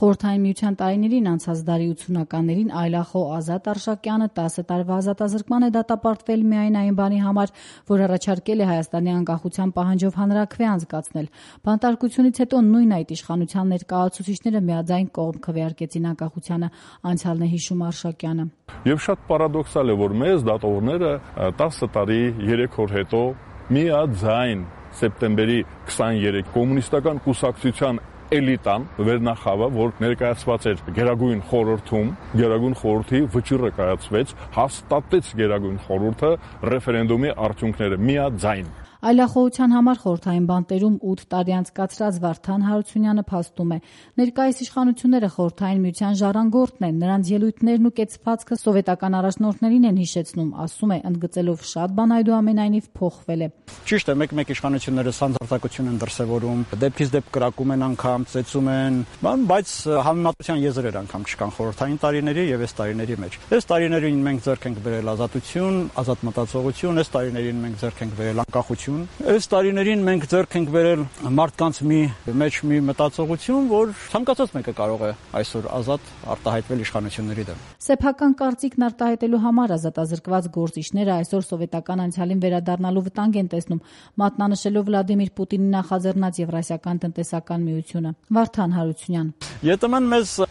Խորհրդային Միության տարիներին անցած դարի 80-ականներին այլախոհ Ազատ Արշակյանը 10 տարվա ազատազրկման է դատապարտվել միայն այն բանի համար, որ առաջարկել է Հայաստանի անկախության պահանջով հանրաքվե անցկացնել։ Բանտարկությունից հետո նույն այդ իշխանության ներկայացուցիչները միաձայն կողմ քվեարկեցին անկախությանը, անցյալն է հիշում Արշակյանը։ Եվ շատ պարադոքսալ է, որ մեզ դատողները 10 տարի 3 օր հետո միաձայն սեպտեմբերի 23 կոմունիստական կուսակցության էլիտան վերնախավը, որ ներկայացված էր Գերագույն խորհրդում, Գերագույն խորհրդի վճիռը կայացվեց, հաստատեց Գերագույն խորհուրդը ռեֆերենդումի արդյունքները միաձայն։ Այլախոհության համար խորհրդային բանտերում 8 տարի անցկացրած Վարդան Հարությունյանը փաստում է. ներկայիս իշխանությունները խորհրդային միության ժառանգորդն են, նրանց ելույթներն ու կեցվածքը սովետական առաջնորդներին են հիշեցնում, ասում է, ընդգծելով շատ բան այդուամենայնիվ փոխվել է։ Ճիշտ է, մեկ-մեկ իշխանությունները սանձարտակություն են դրսևորում, դեպքից դեպք կրակում են անգամ, ծեծում են, բայց համեմատության եզրեր անգամ չկան խորհրդային տարիների եւ այս տարիների մեջ։ Այս տարիներին մենք ձեռք ենք բերել ազատություն, ազատ մտածողություն, այս տարիներին մենք ձեռք ենք բերել անկախություն։ Այս տարիներին մենք ձեռք ենք բերել մարդկանց մի մտածողություն, որ ցանկացած մեկը կարող է այսօր ազատ արտահայտվել իշխանությունների դեմ։ Սեփական կարծիքն արտահայտելու համար ազատազրկված գործիչները այսօր սովետական անցյալին վերադառնալու վտանգ են տեսնում, մատնանշելով Վլադիմիր Պուտինի նախաձեռնած Եվրասիական տնտեսական միությունը։ Վարդան Հարությունյան. ԵՏՄ-ն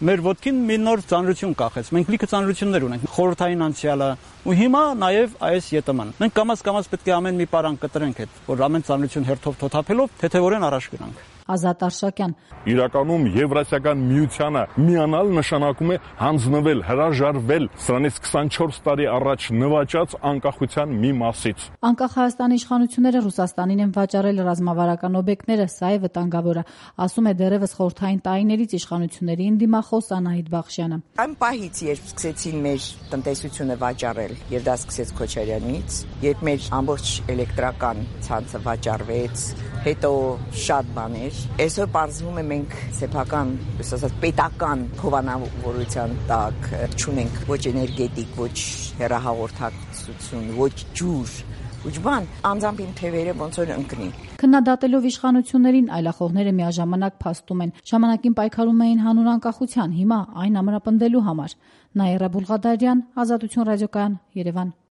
մեր ոտքին մի նոր ծանրություն կախեց։ Մենք լիքը ծանրություններ ունենք, խորհրդային անցյալը ու հիմա նաև այս ԵՏՄ-ն։ Մենք կամաց պետք է ամեն մի բան կտրենք այդ, որ ամեն ծանրություն հերթով թոթափելով թեթևորեն առաջ գնանք։ Ազատ Արշակյան. Իրականում Եվրասիական միությանը միանալ նշանակում է հանձնվել, հրաժարվել սրանից 24 տարի առաջ նվաճած անկախության մի մասից։ Անկախ Հայաստանի իշխանությունները Ռուսաստանին են վաճառել ռազմավարական օբյեկտները, սա է վտանգավորը, ասում է դեռևս խորհրդային տարիներից իշխանությունների ընդդիմախոս Անահիտ Բախշյանը։ Այն պահից, երբ սկսեցին մեր տնտեսությունը վաճառել, եւ դա սկսեց Քոչարյանից, երբ մեր ամբողջ էլեկտրական ցանցը վաճառվեց, հետո շատ բաներ, այսօր պարզվում է մենք սեփական, ասած պետական հովանավորության տակ չունենք ոչ էներգետիկ, ոչ հեռահաղորդակցություն, ոչ ջուր, ոչ բան, անձամբ իմ թևերը ոնց որ ընկնի։ Քննադատելով իշխանություններին այլախոհները միաժամանակ փաստում են, ժամանակին պայքարում էին հանուն անկախության, հիմա այն ամրապնդելու համար։ Նաիրա Բուլղադարյան, Ազատություն ռադիոկայան, Երևան։